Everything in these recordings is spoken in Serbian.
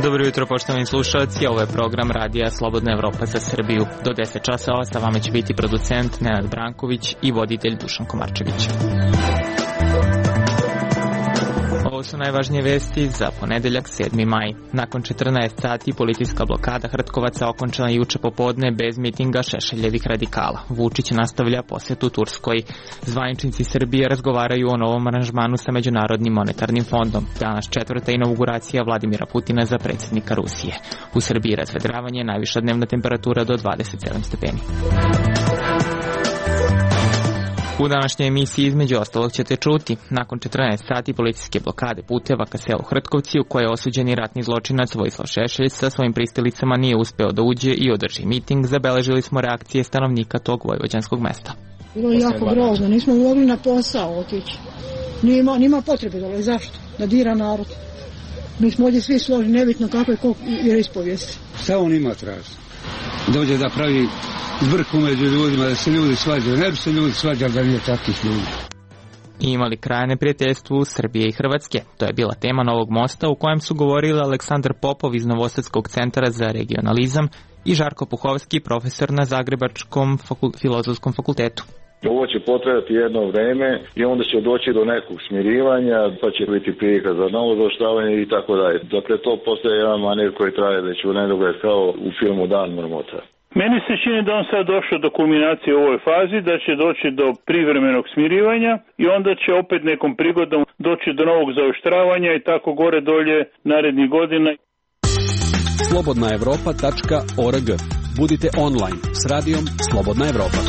Dobro jutro, poštovani slušalci, ovo je program Radija Slobodna Evropa za Srbiju. Do 10 časova sa vama će biti producent Nenad Branković i voditelj Dušan Komarčević. Ovo su najvažnije vesti za ponedeljak 7. maj. Nakon 14 sati policijska blokada Hrtkovaca okončana juče popodne bez mitinga Šešeljevih radikala. Vučić nastavlja posjetu Turskoj. Zvaničnici Srbije razgovaraju o novom aranžmanu sa Međunarodnim monetarnim fondom. Danas četvrta inauguracija Vladimira Putina za predsjednika Rusije. U Srbiji razvedravanje, najviša dnevna temperatura do 27 stepeni. U današnjoj emisiji između ostalog ćete čuti. Nakon 14 sati policijske blokade puteva ka selu Hrtkovci, u kojoj je osuđeni ratni zločinac Vojislav Šešelj sa svojim pristalicama nije uspeo da uđe i održi miting, zabeležili smo reakcije stanovnika tog vojvođanskog mesta. Bilo je jako grozno, nismo mogli na posao otići. Nima potrebe dole, zašto? Da dira narod. Mi smo ovdje svi složni, nebitno kako je ko vjeroispovijest. Šta on ima traži? Dođe da pravi zbrku među ljudima, da se ljudi svađaju. Ne bi se ljudi svađali da nije takvih ljudi. I imali kraja neprijateljstvu Srbije i Hrvatske. To je bila tema Novog mosta u kojem su govorili Aleksandar Popov iz Novosadskog centra za regionalizam i Žarko Puhovski, profesor na Zagrebačkom filozofskom fakultetu. Ovo će potrebati jedno vreme i onda će doći do nekog smirivanja, pa će biti prilika za novo zaoštravanje i tako dalje. Dakle, to postaje jedan manir koji traje već u nedogled kao u filmu Dan marmota. Meni se čini da on sad došao do kulminacije u ovoj fazi, da će doći do privremenog smirivanja i onda će opet nekom prigodom doći do novog zaoštravanja i tako gore dolje narednih godina. Slobodnaevropa.org. Budite online s radijom Slobodna Evropa.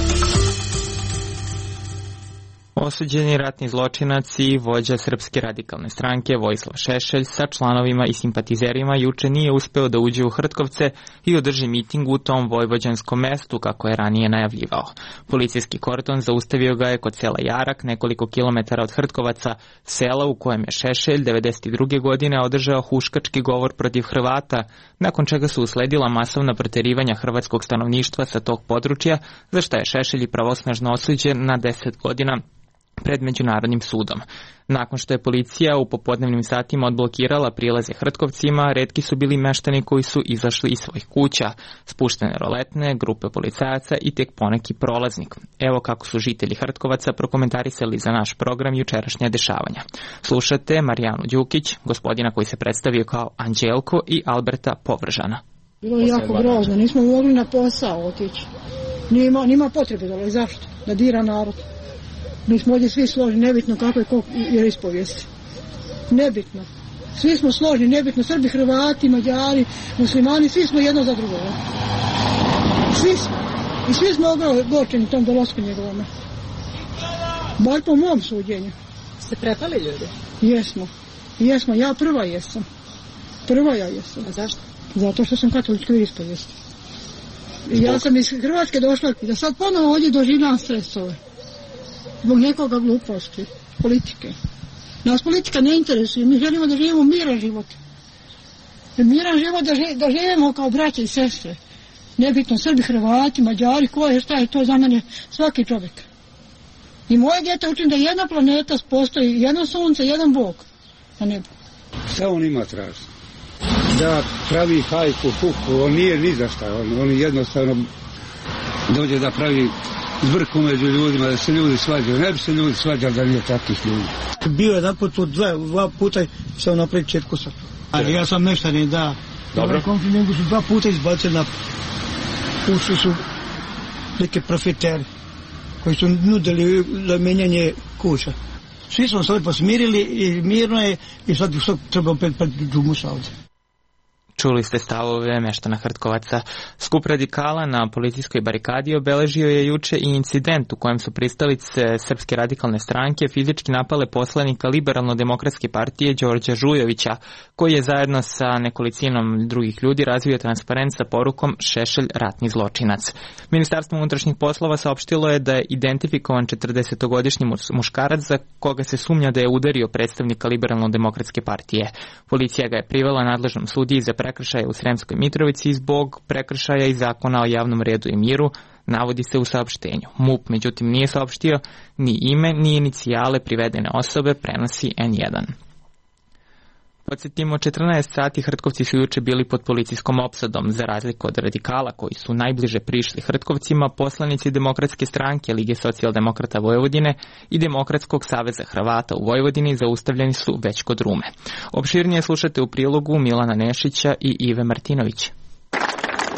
Osuđeni ratni zločinac i vođa Srpske radikalne stranke Vojislav Šešelj sa članovima i simpatizerima juče nije uspeo da uđe u Hrtkovce i održi miting u tom vojvođanskom mestu kako je ranije najavljivao. Policijski kordon zaustavio ga je kod sela Jarak, nekoliko kilometara od Hrtkovaca, sela u kojem je Šešelj 1992. godine održao huškački govor protiv Hrvata, nakon čega su usledila masovna proterivanja hrvatskog stanovništva sa tog područja, za šta je Šešelj pravosnažno osuđen na 10 godina pred Međunarodnim sudom. Nakon što je policija u popodnevnim satima odblokirala prilaze Hrtkovcima, retki su bili meštani koji su izašli iz svojih kuća, spuštene roletne, grupe policajaca i tek poneki prolaznik. Evo kako su žitelji Hrtkovaca prokomentarisali za naš program jučerašnja dešavanja. Slušate Marijanu Đukić, gospodina koji se predstavio kao Anđelko, i Alberta Povržana. Bilo je jako grozno, nismo mogli na posao otići. Nima potrebe dole, zašto? Da dira narod. Mi smo ovdje svi složni, nebitno kako je ko vjeroispovijest. Nebitno. Svi smo složni, nebitno. Srbi, Hrvati, Mađari, Muslimani, svi smo jedno za drugo. Svi smo. I svi smo ogorčeni tom dolasku njegovome. Bar po mom suđenju. Ste prepali ljudi? Jesmo. Ja prva jesam. Ja jesam. A zašto? Zato što sam katolička vjeroispovijest. Ja sam iz Hrvatske došla da sad ponovo ovdje doživljam stresove. Zbog nekoga gluposti, politike. Nas politika ne interesuje, mi želimo da živimo miran život. Miran život da živimo kao braće i sestre. Nebitno Srbi, Hrvati, Mađari, ko je, šta je to za mene, svaki čovjek. I moje djete učim da jedna planeta postoji, jedno sunce, jedan Bog na nebu. Šta on ima traži? Da pravi hajku, fuku, on nije ni za šta, on jednostavno dođe da pravi zbrku među ljudima, da se ljudi svađaju. Ne bi se ljudi svađali da nije takvih ljudi. Bio jedan put, dva puta sam napravio četkusa. Ali ja sam meštanin, da. Dobro. Nego su 2 puta izbacili na ušli su neke profiteri koji su nudili za menjanje kuća. Svi smo se ovdje posmirili i mirno je i sad treba opet pred džumusa ovdje. Čuli ste stavove meštana Hrtkovaca. Skup radikala na policijskoj barikadi obeležio je juče i incident u kojem su pristalice Srpske radikalne stranke fizički napale poslanika Liberalno-demokratske partije Đorđa Žujovića, koji je zajedno sa nekolicinom drugih ljudi razvio transparent sa porukom Šešelj ratni zločinac. Ministarstvo unutrašnjih poslova saopštilo je da je identifikovan 40-godišnji muškarac za koga se sumnja da je udario predstavnika Liberalno-demokratske partije. Policija ga je privela nadležnom sudiji za prekršaja u Sremskoj Mitrovici zbog prekršaja iz zakona o javnom redu i miru, navodi se u saopštenju. MUP međutim nije saopštio ni ime ni inicijale privedene osobe, prenosi N1. Podsjetimo, 14 sati Hrtkovci su juče bili pod policijskom opsadom. Za razliku od radikala koji su najbliže prišli Hrtkovcima, poslanici Demokratske stranke, Lige socijaldemokrata Vojvodine i Demokratskog saveza Hrvata u Vojvodini zaustavljeni su već kod Rume. Opširnije slušate u prilogu Milana Nešića i Ive Martinović.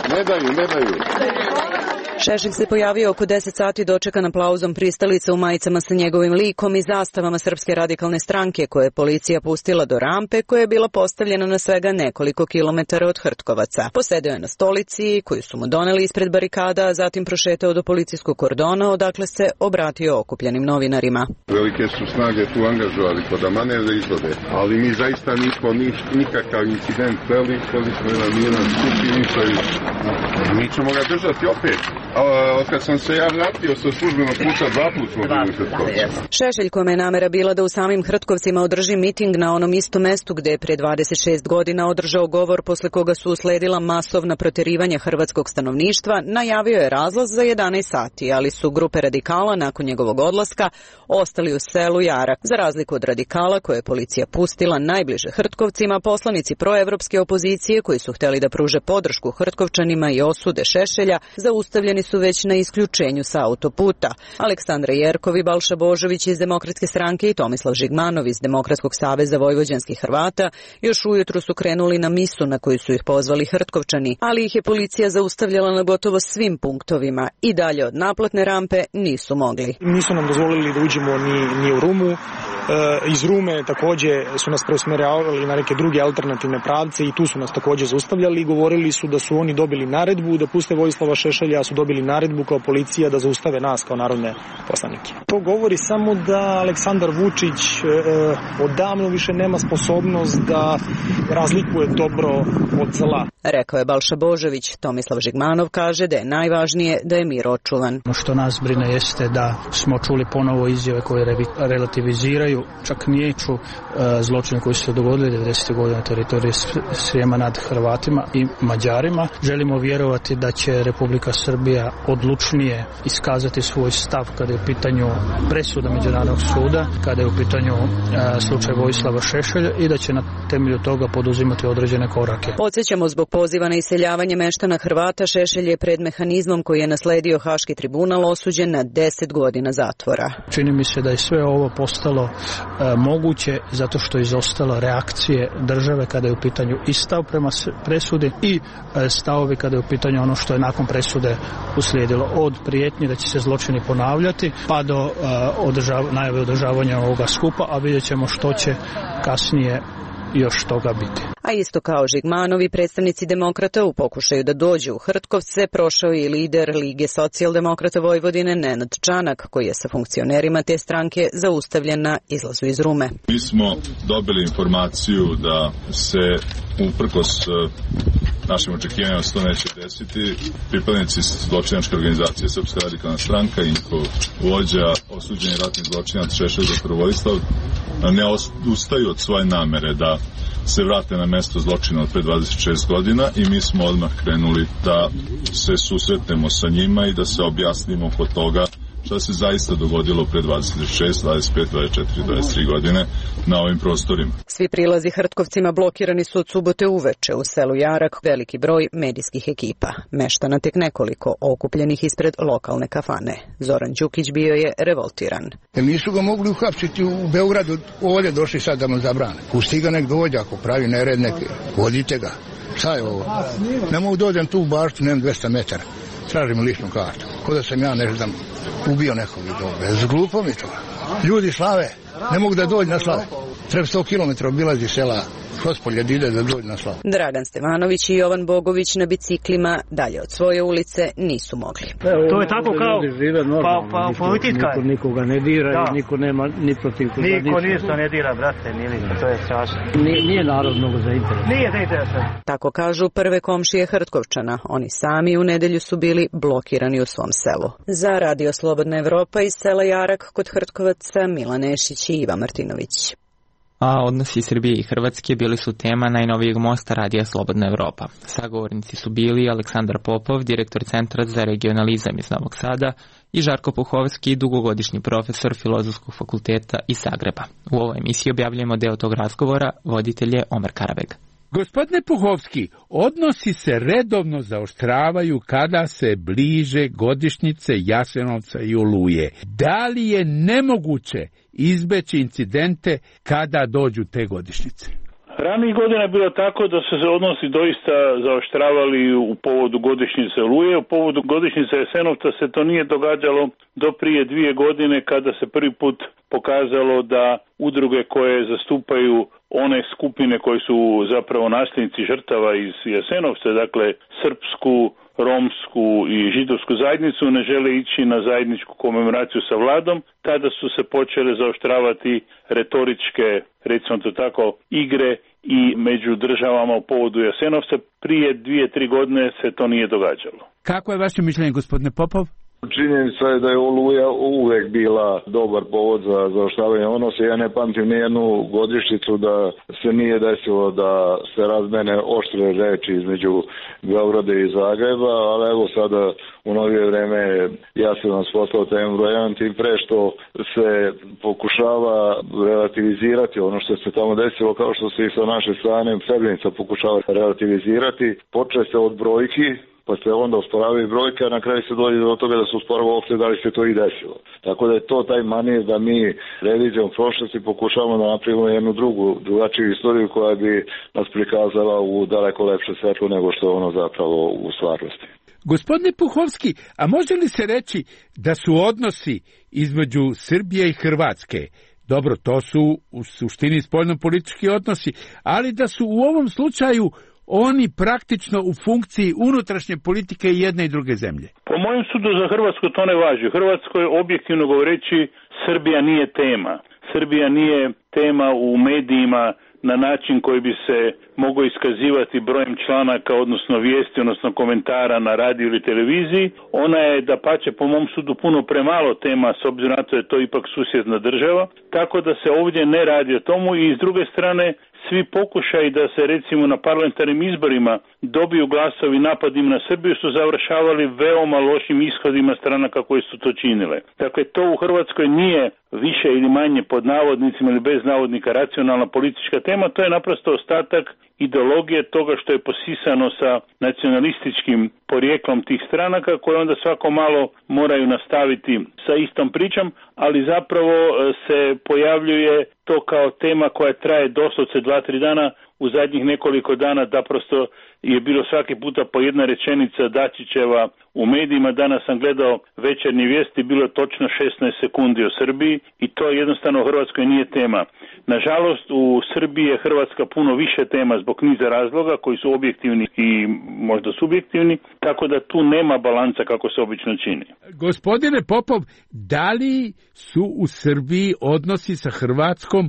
Ne daju. Šešelj se pojavio oko 10 sati dočekan aplauzom pristalica u majicama sa njegovim likom i zastavama Srpske radikalne stranke koje je policija pustila do rampe koja je bila postavljena na svega nekoliko kilometara od Hrtkovaca. Posedeo je na stolici koju su mu doneli ispred barikada, a zatim prošetao do policijskog kordona odakle se obratio okupljenim novinarima. Velike su snage tu angažovali kod manevra izvode, ali mi zaista nismo nikakav incident peli, smo jedan skup i ništa više. Mi ćemo ga držati opet. Od kad sam se ja vratio sa službenog puta 2 puta smo bili u Hrtkovcu. Šešelj, kome je namera bila da u samim Hrtkovcima održi miting na onom istom mestu gde je pre 26 godina održao govor posle koga su usledila masovna proterivanja hrvatskog stanovništva, najavio je razlaz za 11 sati, ali su grupe radikala nakon njegovog odlaska ostali u selu Jarak. Za razliku od radikala koje je policija pustila najbliže Hrtkovcima, poslanici proevropske opozicije koji su hteli da pruže podršku Hrtkovčanima i osude Šešelja zaustavljeni su već na isključenju sa autoputa. Aleksandra Jerkov i Balša Božović iz Demokratske stranke i Tomislav Žigmanov iz Demokratskog saveza vojvođanskih Hrvata još ujutru su krenuli na misu na koju su ih pozvali Hrtkovčani, ali ih je policija zaustavljala na gotovo svim punktovima i dalje od naplatne rampe nisu mogli. Nisu nam dozvolili da uđemo ni u Rumu. Iz Rume također su nas preusmeravali na neke druge alternativne pravce i tu su nas također zaustavljali i govorili su da su oni dobili naredbu da puste Vojislava Šešelja, a su dobili naredbu kao policija da zaustave nas kao narodne poslanike. To govori samo da Aleksandar Vučić odavno više nema sposobnost da razlikuje dobro od zla. Rekao je Balša Božović. Tomislav Žigmanov kaže da je najvažnije da je mir očuvan. Što nas brine jeste da smo čuli ponovo izjave koje relativiziraju čak niječu zločine koji su se dogodili 90. godina na teritoriji Srijema nad Hrvatima i Mađarima. Želimo vjerovati da će Republika Srbija odlučnije iskazati svoj stav kada je u pitanju presuda Međunarodnog suda, kada je u pitanju slučaj Vojislava Šešelja i da će na temelju toga poduzimati određene korake. Podsjećamo, zbog poziva na iseljavanje meštana Hrvata, Šešelj je pred mehanizmom koji je nasledio Haški tribunal osuđen na 10 godina zatvora. Čini mi se da je sve ovo postalo moguće zato što je izostalo reakcije države kada je u pitanju i stav prema presudi i stavovi kada je u pitanju ono što je nakon presude uslijedilo, od prijetnji da će se zločini ponavljati pa do najave održavanja ovoga skupa, a vidjet ćemo što će kasnije još toga biti. A isto kao Žigmanovi, predstavnici demokrata u pokušaju da dođu u Hrtkovce prošao i lider Lige socijaldemokrata Vojvodine Nenad Čanak, koji je sa funkcionerima te stranke zaustavljen na izlazu iz Rume. Mi smo dobili informaciju da se uprkos našim očekivanjima to neće desiti. Pripadnici zločinačke organizacije Srpska radikalna stranka i njihov vođa, osuđeni ratni zločinac Šešelj dr. Vojislav, ne ustaju od svoje namere da se vrate na mesto zločina od pre 26 godina i mi smo odmah krenuli da se susretnemo sa njima i da se objasnimo oko toga šta se zaista dogodilo pre 26, 25, 24, 23 godine na ovim prostorima. Svi prilazi Hrtkovcima blokirani su od subote uveče u selu Jarak, veliki broj medijskih ekipa. Meštana tek nekoliko okupljenih ispred lokalne kafane. Zoran Đukić bio je revoltiran. Nisu ga mogli uhapsiti u Beogradu, ovdje došli sad da mu zabrane. Pusti ga nek dođe, ako pravi nered neki, vodite ga. Šta je ovo? Ne mogu dođem tu u baštu, nemam 200 metara. Tražim ličnu kartu. Ko da sam ja ne znam ubio nekog i dobro. Zglupo mi to. Ljudi slave, ne mogu da dođu na slave. Treba 100 km obilazi sela Hospolje da ide da dođu na slavu. Dragan Stevanović i Jovan Bogović na biciklima dalje od svoje ulice nisu mogli. To je tako kao politika. Nikoga ne dira i niko nema ni protiv koga. Niko ništa ne dira, brate, to je strašno. Nije narod mnogo zainteresovan. Nije zainteresovan. Tako kažu prve komšije Hrtkovčana. Oni sami u nedelju su bili blokirani u svom selu. Za Radio Slobodna Evropa iz sela Jarak kod Hrtkovaca, Milan Nešić i Iva Martinović. A odnosi Srbije i Hrvatske bili su tema najnovijeg mosta radija Slobodna Evropa. Sagovornici su bili Aleksandar Popov, direktor Centra za regionalizam iz Novog Sada, i Žarko Puhovski, dugogodišnji profesor Filozofskog fakulteta iz Zagreba. U ovoj emisiji objavljujemo deo tog razgovora, voditelj je Omer Karabeg. Gospodine Puhovski, odnosi se redovno zaoštravaju kada se bliže godišnjice Jasenovca i Oluje. Da li je nemoguće izbeći incidente kada dođu te godišnjice? Ranijih godina je bilo tako da su se odnosi doista zaoštravali u povodu godišnjice Oluje. U povodu godišnjice Jasenovca se to nije događalo do prije 2 godine kada se prvi put pokazalo da udruge koje zastupaju one skupine koji su zapravo nasljednici žrtava iz Jasenovca, dakle srpsku, romsku i židovsku zajednicu, ne žele ići na zajedničku komemoraciju sa vladom. Tada su se počele zaoštravati retoričke, recimo to tako, igre i među državama u povodu Jasenovca. Prije 2-3 godine se to nije događalo. Kako je vaše mišljenje, gospodine Popov? Činjenica je da je Oluja uvek bila dobar povod za zaoštravanje odnosa. Ja ne pamtim nijednu godišnjicu da se nije desilo da se razmene oštre reči između Beograda i Zagreba, ali evo sada u novije vreme Jasenovac postao temu broj 1, tim pre što se pokušava relativizirati ono što se tamo desilo, kao što se i sa naše strane Srebrenica pokušava relativizirati. Počne se od brojki, pa se onda osporavaju brojke, a na kraju se dođe do toga da se osporava uopšte da li se to i desilo. Tako da je to taj manir da mi revizijom prošlosti pokušavamo da napravimo jednu drugačiju istoriju koja bi nas prikazala u daleko lepše svetlo nego što je ono zapravo u stvarnosti. Gospodine Puhovski, a može li se reći da su odnosi između Srbije i Hrvatske, dobro, to su u suštini spoljnopolitički odnosi, ali da su u ovom slučaju oni praktično u funkciji unutrašnje politike jedne i druge zemlje? Po mojem sudu za Hrvatsku to ne važi. U Hrvatskoj, objektivno govoreći, Srbija nije tema. Srbija nije tema u medijima na način koji bi se mogao iskazivati brojem članaka, odnosno vijesti, odnosno komentara na radiju ili televiziji. Ona je, dapače, po mom sudu puno premalo tema, s obzirom na to je to ipak susjedna država, tako da se ovdje ne radi o tomu i s druge strane svi pokušaji da se recimo na parlamentarnim izborima dobiju glasovi napadima na Srbiju su završavali veoma lošim ishodima stranaka koji su to činile. Dakle, to u Hrvatskoj nije više ili manje pod navodnicima ili bez navodnika racionalna politička tema, to je naprosto ostatak ideologije toga što je posisano sa nacionalističkim porijeklom tih stranaka koje onda svako malo moraju nastaviti sa istom pričom, ali zapravo se pojavljuje to kao tema koja traje doslovce 2-3 dana. U zadnjih nekoliko dana da prosto je bilo svaki puta po jedna rečenica Dačićeva u medijima. Danas sam gledao večernje vijesti, bilo je točno 16 sekundi o Srbiji i to jednostavno u Hrvatskoj nije tema. Nažalost, u Srbiji je Hrvatska puno više tema zbog niza razloga koji su objektivni i možda subjektivni, tako da tu nema balansa kako se obično čini. Gospodine Popov, da li su u Srbiji odnosi sa Hrvatskom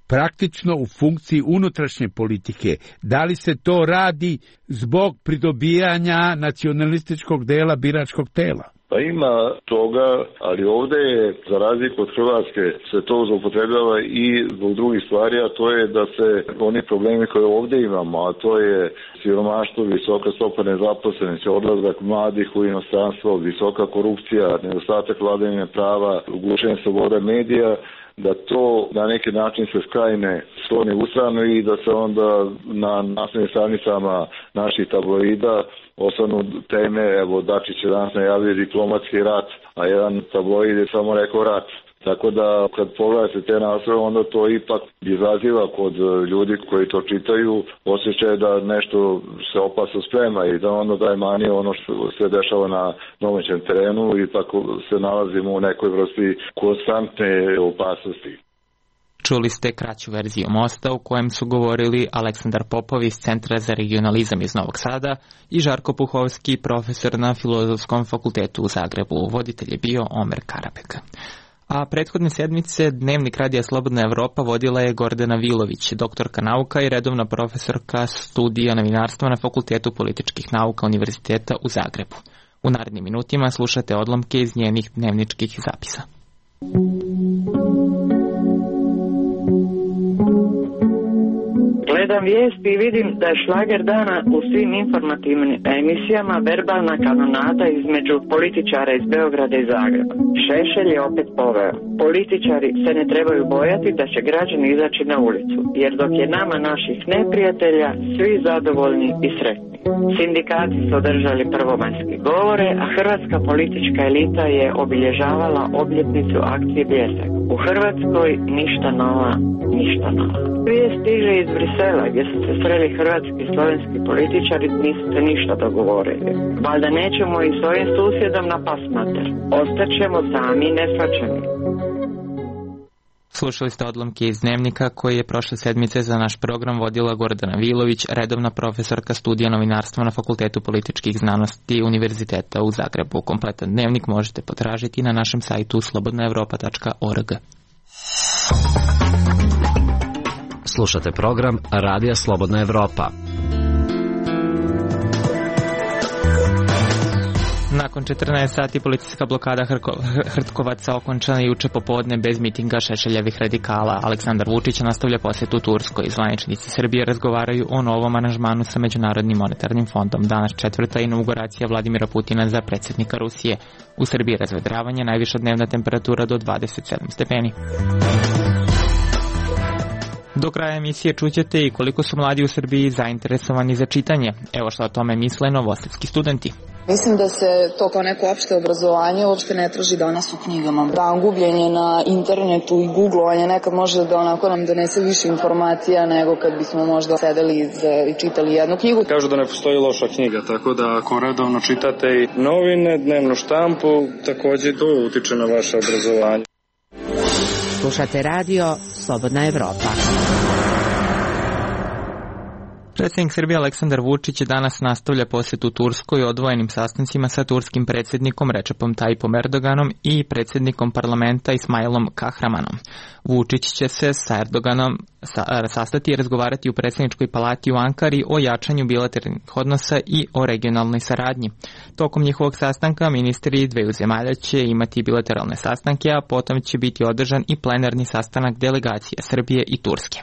praktično u funkciji unutrašnje politike? Da li se to radi zbog pridobijanja nacionalističkog dela biračkog tela? Pa ima toga, ali ovdje je, za razliku od Hrvatske, se to zloupotrebljava i zbog drugih stvari, a to je da se oni problemi koje ovdje imamo, a to je siromaštvo, visoka stopa nezaposlenosti, odlazak mladih u inostranstvo, visoka korupcija, nedostatak vladavine prava, ugušenje slobode medija, da to na neki način se skrajne skloni u stranu i da se onda na naslovnim stranicama naših tabloida osnovnu teme, evo Dačić je danas najavio diplomatski rat, a jedan tabloid je samo rekao rat. Tako da kad pogledate te naslove, onda to ipak izaziva kod ljudi koji to čitaju osjećaj da nešto se opasno sprema i da onda daje manje ono što se dešava na domaćem terenu i tako se nalazimo u nekoj vrsti konstantne opasnosti. Čuli ste kraću verziju mosta u kojem su govorili Aleksandar Popov iz Centra za regionalizam iz Novog Sada i Žarko Puhovski, profesor na Filozofskom fakultetu u Zagrebu. Voditelj je bio Omer Karabeg. A prethodne sedmice Dnevnik radija Slobodna Evropa vodila je Gordana Vilović, doktorka nauka i redovna profesorka studija novinarstva na Fakultetu političkih nauka Univerziteta u Zagrebu. U narednim minutima slušate odlomke iz njenih dnevničkih zapisa. Gledam vijesti i vidim da je šlager dana u svim informativnim emisijama verbalna kanonada između političara iz Beograda i Zagreba. Šešelj je opet poveo. Političari se ne trebaju bojati da će građani izaći na ulicu, jer dok je nama naših neprijatelja, svi zadovoljni i sretni. Sindikati su održali prvomajske govore, a hrvatska politička elita je obilježavala obljetnicu akcije Bljesak. U Hrvatskoj ništa nova, ništa nova. Vijest stiže iz Brisela, gdje su se sreli hrvatski i slovenski političari, nisu se ništa dogovorili. Valjda nećemo i s ovim susjedom na pasmater. Ostaćemo sami nesvačani. Slušali ste odlomke iz Dnevnika koji je prošle sedmice za naš program vodila Gordana Vilović, redovna profesorka studija novinarstva na Fakultetu političkih znanosti Univerziteta u Zagrebu. Kompletan dnevnik možete potražiti na našem sajtu slobodnaevropa.org. Slušate program Radija Slobodna Evropa. Nakon 14 sati policijska blokada Hrtkovaca okončana juče popodne bez mitinga Šešeljevih radikala. Aleksandar Vučić nastavlja posjetu Turskoj. Zvaničnici Srbije razgovaraju o novom aranžmanu sa Međunarodnim monetarnim fondom. Danas četvrta inauguracija Vladimira Putina za predsjednika Rusije. U Srbiji razvedravanje, najviša dnevna temperatura do 27 stepeni. Do kraja emisije čućete i koliko su mladi u Srbiji zainteresovani za čitanje. Evo što o tome misle novosadski studenti. Mislim da se to kao neko opšte obrazovanje uopšte ne traži danas u knjigama. Da, gubljenje na internetu i googlovanje nekad može da onako nam donese više informacija nego kad bismo možda sedeli i čitali jednu knjigu. Kažu da ne postoji loša knjiga, tako da ako redovno čitate i novine, dnevnu štampu, takođe to utiče na vaše obrazovanje. Slušate radio Slobodna Evropa. Predsjednik Srbije Aleksandar Vučić danas nastavlja posjetu Turskoj odvojenim sastancima sa turskim predsjednikom Recepom Tayyipom Erdoganom i predsjednikom parlamenta Ismailom Kahramanom. Vučić će se sa Erdoganom sastati i razgovarati u predsjedničkoj palati u Ankari o jačanju bilateralnih odnosa i o regionalnoj saradnji. Tokom njihovog sastanka ministri dveju zemalja će imati bilateralne sastanke, a potom će biti održan i plenarni sastanak delegacija Srbije i Turske.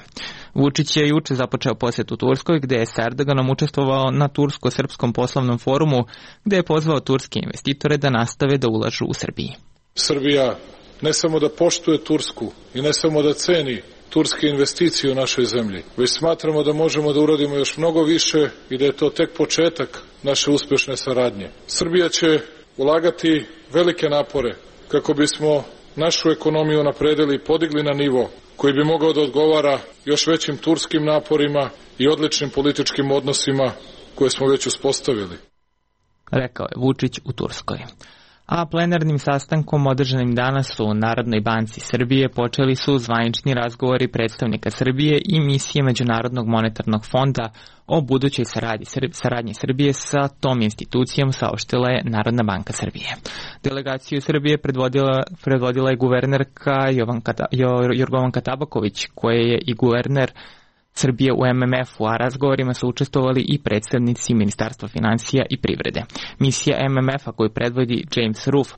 Vučić je juče započeo posjet u Turskoj, gde je sa Erdoganom učestvovao na tursko-srpskom poslovnom forumu, gde je pozvao turske investitore da nastave da ulažu u Srbiji. Srbija ne samo da poštuje Tursku i ne samo da ceni turske investicije u našoj zemlji, već smatramo da možemo da uradimo još mnogo više i da je to tek početak naše uspešne saradnje. Srbija će ulagati velike napore kako bismo našu ekonomiju unapredili i podigli na nivo koji bi mogao da odgovara još većim turskim naporima i odličnim političkim odnosima koje smo već uspostavili. Rekao je Vučić u Turskoj. A plenarnim sastankom održanim danas u Narodnoj banci Srbije počeli su zvanični razgovori predstavnika Srbije i misije Međunarodnog monetarnog fonda o budućoj saradnji Srbije sa tom institucijom, saopštila je Narodna banka Srbije. Delegaciju Srbije predvodila je guvernerka Jorgovanka Tabaković, koja je i guverner Srbije u MMF-u, a razgovorima su učestvovali i predstavnici Ministarstva finansija i privrede. Misija MMF-a koju predvodi James Roof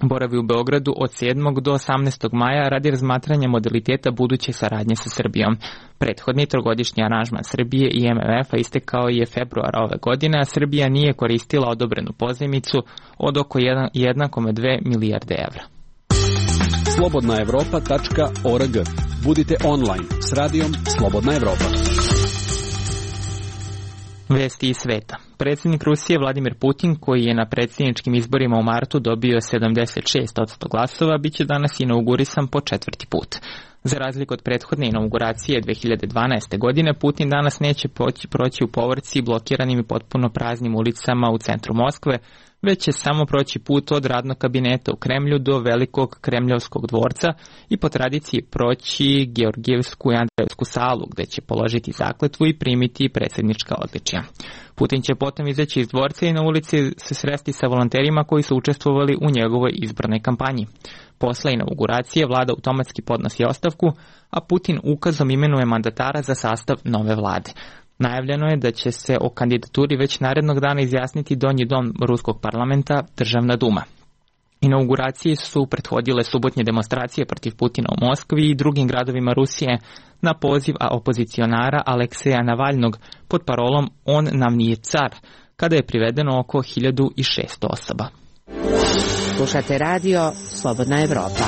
boravi u Beogradu od 7. do 18. maja radi razmatranja modaliteta buduće saradnje sa Srbijom. Prethodni trogodišnji aranžman Srbije i MMF-a istekao je februara ove godine, a Srbija nije koristila odobrenu pozajmicu od oko 1,2 milijarde evra. slobodnaevropa.org. Budite online s radijom Slobodna Evropa. Vesti iz sveta. Predsjednik Rusije Vladimir Putin, koji je na predsjedničkim izborima u martu dobio 76% glasova, bit će danas inaugurisan po četvrti put. Za razliku od prethodne inauguracije 2012. godine, Putin danas neće proći u povorci blokiranim i potpuno praznim ulicama u centru Moskve, već će samo proći put od radnog kabineta u Kremlju do velikog Kremljevskog dvorca i po tradiciji proći Georgijevsku i Andrejevsku salu, gde će položiti zakletvu i primiti predsjednička odličja. Putin će potom izaći iz dvorca i na ulici se sresti sa volonterima koji su učestvovali u njegovoj izbornoj kampanji. Posle inauguracije vlada automatski podnosi ostavku, a Putin ukazom imenuje mandatara za sastav nove vlade. Najavljeno je da će se o kandidaturi već narednog dana izjasniti donji dom ruskog parlamenta, Državna duma. Inauguraciji su prethodile subotnje demonstracije protiv Putina u Moskvi i drugim gradovima Rusije na poziv opozicionara Alekseja Navalnog pod parolom "On nam nije car", kada je privedeno oko 1600 osoba. Slušate radio Slobodna Evropa.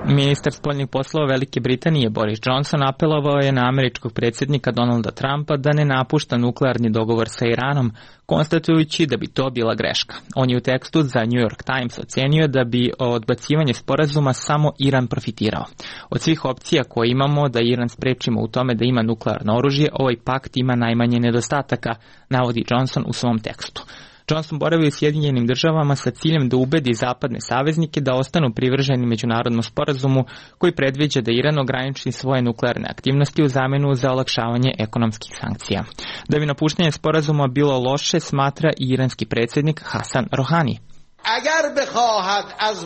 Ministar spoljnih poslova Velike Britanije Boris Johnson apelovao je na američkog predsjednika Donalda Trumpa da ne napušta nuklearni dogovor sa Iranom, konstatujući da bi to bila greška. On je u tekstu za New York Times ocenio da bi odbacivanje sporazuma samo Iran profitirao. Od svih opcija koje imamo da Iran sprečimo u tome da ima nuklearno oružje, ovaj pakt ima najmanje nedostataka, navodi Johnson u svom tekstu. Johnson boravi u Sjedinjenim državama sa ciljem da ubedi zapadne saveznike da ostanu privrženi međunarodnom sporazumu koji predviđa da Iran ograniči svoje nuklearne aktivnosti u zamenu za olakšavanje ekonomskih sankcija. Da bi napuštanje sporazuma bilo loše, smatra i iranski predsjednik Hasan Rohani.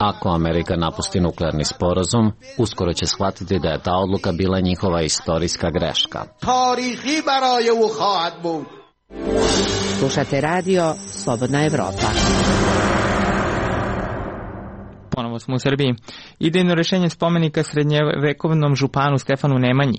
Ako Amerika napusti nuklearni sporazum, uskoro će shvatiti da je ta odluka bila njihova istorijska greška. Slušate radio Slobodna Evropa. Ponovo smo u Srbiji. Idejno rešenje spomenika srednjevekovnom županu Stefanu Nemanji,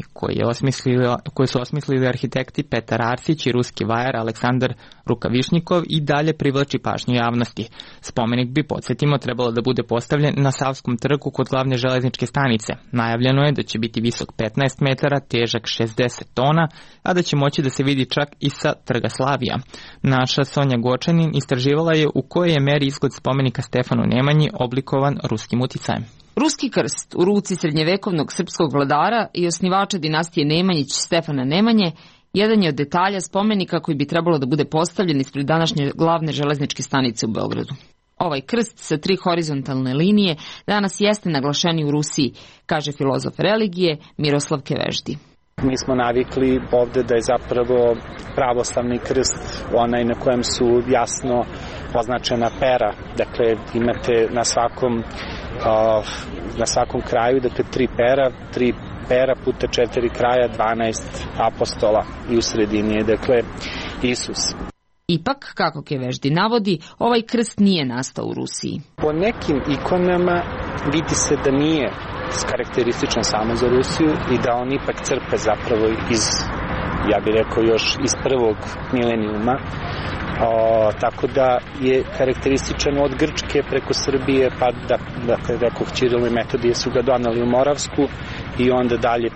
koje su osmislili arhitekti Petar Arsić i ruski vajar Aleksandar Rukavišnikov, i dalje privlači pažnju javnosti. Spomenik bi, podsjetimo, trebalo da bude postavljen na Savskom trgu kod glavne železničke stanice. Najavljeno je da će biti visok 15 metara, težak 60 tona, a da će moći da se vidi čak i sa Trga Slavija. Naša Sonja Gočanin istraživala je u kojoj je meri izgled spomenika Stefanu Nemanji oblikovan ruskim uticajem. Ruski krst u ruci srednjevekovnog srpskog vladara i osnivača dinastije Nemanjić Stefana Nemanje jedan je od detalja spomenika koji bi trebalo da bude postavljen ispred današnje glavne železničke stanice u Beogradu. Ovaj krst sa 3 horizontalne linije danas jeste naglašeni u Rusiji, kaže filozof religije Miroslav Keveždi. Mi smo navikli ovde da je zapravo pravoslavni krst onaj na kojem su jasno označena pera. Dakle, imate na svakom kraju, dakle, 3 pera puta 4 kraja, 12 apostola i u sredini je, dakle, Isus. Ipak, kako Keveždi navodi, ovaj krst nije nastao u Rusiji. Po nekim ikonama vidi se da nije karakterističan samo za Rusiju i da on ipak crpe zapravo ja bih rekao, još iz prvog milenijuma. Tako da je karakterističan od Grčke preko Srbije, pa dakle, rekao, Ćirilo i Metodije su ga donali u Moravsku i onda dalje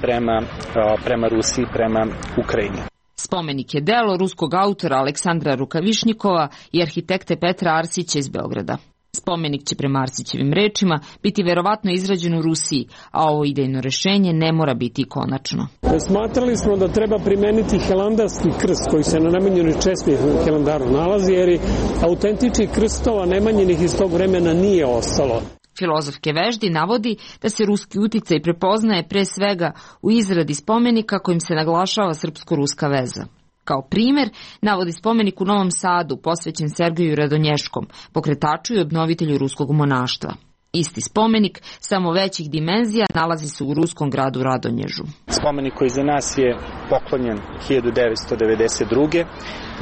prema Rusiji, prema Ukrajini. Spomenik je delo ruskog autora Aleksandra Rukavišnikova i arhitekte Petra Arsića iz Beograda. Spomenik će prema Arsićevim rečima biti verovatno izrađen u Rusiji, a ovo idejno rešenje ne mora biti konačno. Smatrali smo da treba primeniti helandarski krst koji se na Nemanjinoj česmi u Helandaru nalazi, jer autentičnih krstova Nemanjinih iz tog vremena nije ostalo. Filozof Keveždi navodi da se ruski uticaj prepoznaje pre svega u izradi spomenika kojim se naglašava srpsko-ruska veza. Kao primer, navodi spomenik u Novom Sadu posvećen Sergeju Radonješkom, pokretaču i obnovitelju ruskog monaštva. Isti spomenik, samo većih dimenzija, nalazi se u ruskom gradu Radonježu. Spomenik koji za nas je poklonjen 1992.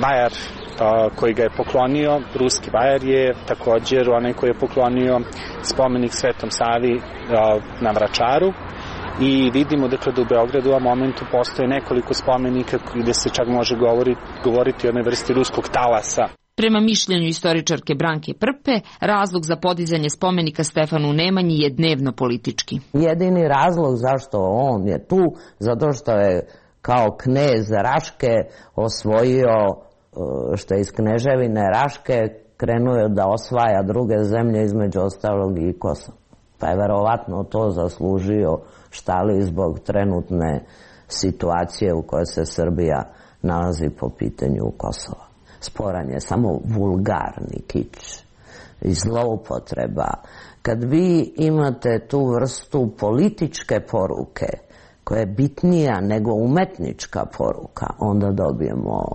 Vajar koji ga je poklonio, ruski vajar, je također onaj koji je poklonio spomenik Svetom Savi na Vračaru. I vidimo, dakle, da u Beogradu u ovom momentu postoje nekoliko spomenika gde se čak može govoriti o jednoj vrsti ruskog talasa. Prema mišljenju istoričarke Branke Prpe, razlog za podizanje spomenika Stefanu Nemanji je dnevno politički. Jedini razlog zašto on je tu, zato što je kao knez Raške osvojio, što je iz kneževine Raške krenuo da osvaja druge zemlje, između ostalog i Kosovo. Pa je verovatno to zaslužio štali zbog trenutne situacije u kojoj se Srbija nalazi po pitanju Kosova. Sporan je samo vulgarni kič i zloupotreba. Kad vi imate tu vrstu političke poruke koja je bitnija nego umetnička poruka, onda dobijemo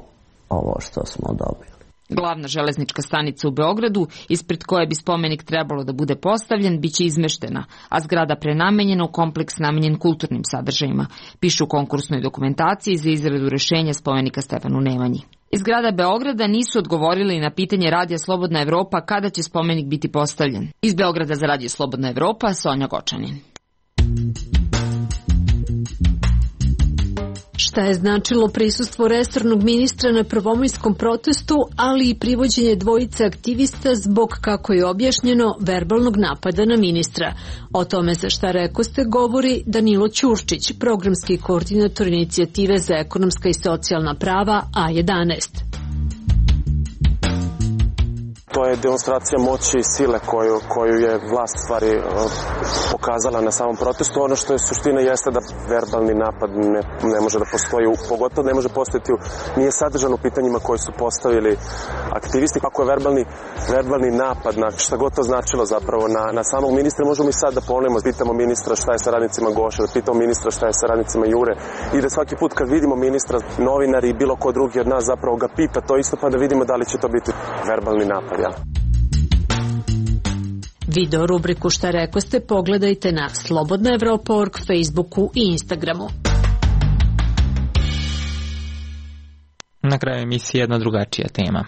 ovo što smo dobili. Glavna železnička stanica u Beogradu, ispred koje bi spomenik trebalo da bude postavljen, biće izmeštena, a zgrada prenamenjena u kompleks namenjen kulturnim sadržajima, pišu u konkursnoj dokumentaciji za izradu rešenja spomenika Stefanu Nemanji. Iz grada Beograda nisu odgovorili na pitanje Radija Slobodna Evropa kada će spomenik biti postavljen. Iz Beograda za Radio Slobodna Evropa, Sonja Gočanin. Šta je značilo prisustvo resornog ministra na prvomajskom protestu, ali i privođenje dvojice aktivista zbog, kako je objašnjeno, verbalnog napada na ministra? O tome za Šta rekoste govori Danilo Ćurčić, programski koordinator inicijative za ekonomska i socijalna prava A11. To je demonstracija moći i sile koju je vlast stvari pokazala na samom protestu. Ono što je suština jeste da verbalni napad ne može da postoji, pogotovo ne može postojati, nije sadržan u pitanjima koje su postavili aktivisti. Ako je verbalni napad, na šta god to značilo zapravo na samog ministra, možemo i sad da ponovimo, pitamo ministra šta je sa radnicima Goše, da pitamo ministra šta je sa radnicima Jure i da svaki put kad vidimo ministra, novinari i bilo ko drugi od nas zapravo ga pita to isto, pa da vidimo da li će to biti verbalni napad. Video rubriku Šta rekoste pogledajte na slobodnaevropa.org, Facebooku i Instagramu. Na kraju emisije jedna drugačija tema.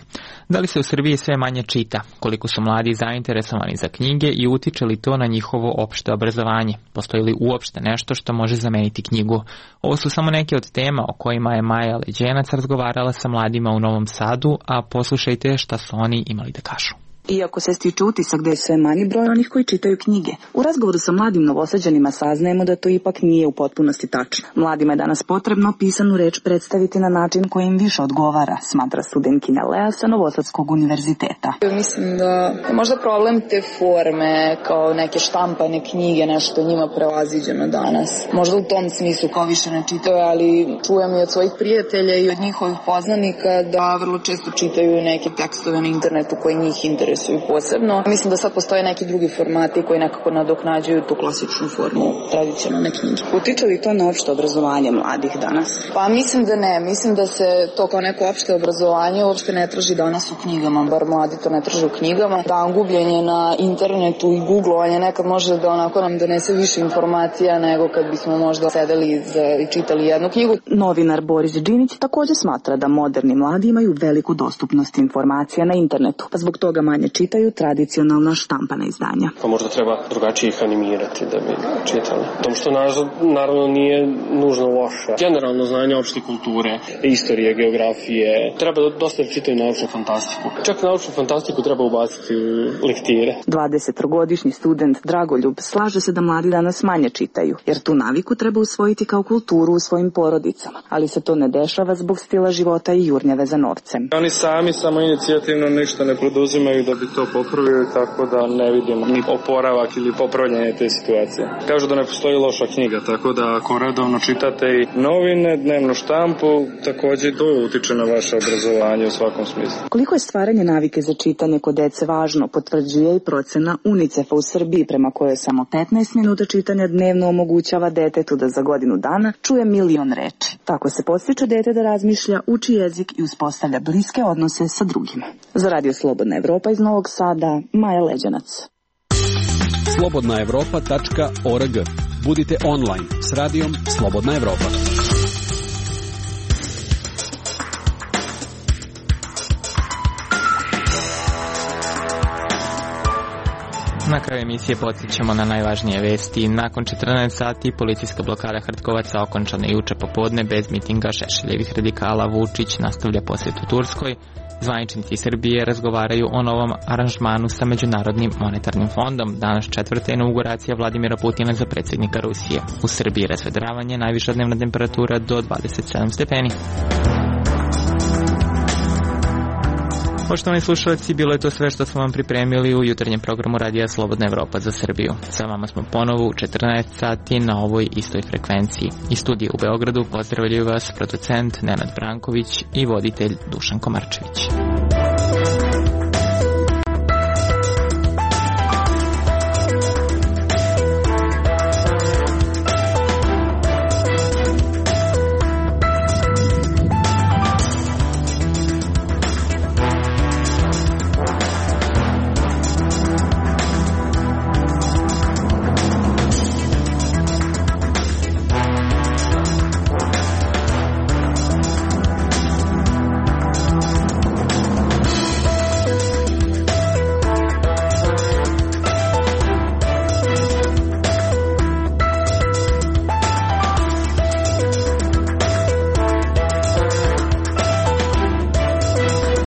Da li se u Srbiji sve manje čita? Koliko su mladi zainteresovani za knjige i utiče li to na njihovo opšte obrazovanje? Postoji li uopšte nešto što može zameniti knjigu? Ovo su samo neke od tema o kojima je Maja Leđenac razgovarala sa mladima u Novom Sadu, a poslušajte šta su oni imali da kažu. Iako se stiče utisak da je sve manji broj onih koji čitaju knjige, u razgovoru sa mladim Novosađanima saznajemo da to ipak nije u potpunosti tačno. Mladima je danas potrebno pisanu reč predstaviti na način koji im više odgovara, smatra studentkinja Lea sa Novosadskog univerziteta. Mislim da je možda problem te forme, kao neke štampane knjige, nešto njima prevaziđeno danas. Možda u tom smislu kao više ne čitaju, ali čujem i od svojih prijatelja i od njihovih poznanika da vrlo često čitaju neke tekstove na internetu koji njih interesuju posebno. Mislim da sad postoje neki drugi formati koji nekako nadoknađuju tu klasičnu formu tradicionalne knjige. Utiče li to na opšte obrazovanje mladih danas? Pa mislim da ne. Mislim da se to kao neko opšte obrazovanje uopšte ne traži danas u knjigama, bar mladi to ne traže u knjigama. Dan gubljenje na internetu i googlovanje nekad može da onako nam donese više informacija nego kad bismo možda sedeli i čitali jednu knjigu. Novinar Boris Đinić takođe smatra da moderni mladi imaju veliku dostupnost informacija na internetu, pa zbog toga manje čitaju tradicionalna štampana izdanja. Pa možda treba drugačije ih animirati da bi čitali. Tom što naravno nije nužno loše. Generalno znanje opšte kulture, istorije, geografije. Treba dosta da čitaju naučnu fantastiku. Čak naučnu fantastiku treba ubaciti u lektire. 20-godišnji student Dragoljub slaže se da mladi danas manje čitaju, jer tu naviku treba usvojiti kao kulturu u svojim porodicama. Ali se to ne dešava zbog stila života i jurnjave za novcem. Oni sami samo inicijativno ništa ne poduzimaju da bi to popravili, tako da ne vidimo ni oporavak ili popravljanje te situacije. Kažu da ne postoji loša knjiga, tako da ako redovno čitate i novine, dnevnu štampu, takođe to utiče na vaše obrazovanje u svakom smislu. Koliko je stvaranje navike za čitanje kod dece važno, potvrđuje i procena UNICEF-a u Srbiji, prema kojoj samo 15 minuta čitanja dnevno omogućava detetu da za godinu dana čuje 1.000.000 reči. Tako se podstiče dete da razmišlja, uči jezik i uspostavlja bliske odnose sa drugima. Za Radio Slobodna Evropa iz Novog Sada, Maja Leđenac. slobodnaevropa.org. Budite online s radijom Slobodna Evropa. Na kraju emisije podsjećamo na najvažnije vesti. Nakon 14 sati policijska blokada Hrtkovaca okončana juče popodne bez mitinga Šešeljevih radikala. Vučić nastavlja posjet u Turskoj. Zvaničnici Srbije razgovaraju o novom aranžmanu sa Međunarodnim monetarnim fondom. Danas četvrta inauguracija Vladimira Putina za predsjednika Rusije. U Srbiji razvedravanje, najviša dnevna temperatura do 27 stepeni. Poštovani slušalci, bilo je to sve što smo vam pripremili u jutarnjem programu Radija Slobodna Evropa za Srbiju. Sa vama smo ponovo u 14 sati na ovoj istoj frekvenciji. Iz studija u Beogradu pozdravljaju vas producent Nenad Branković i voditelj Dušan Komarčević.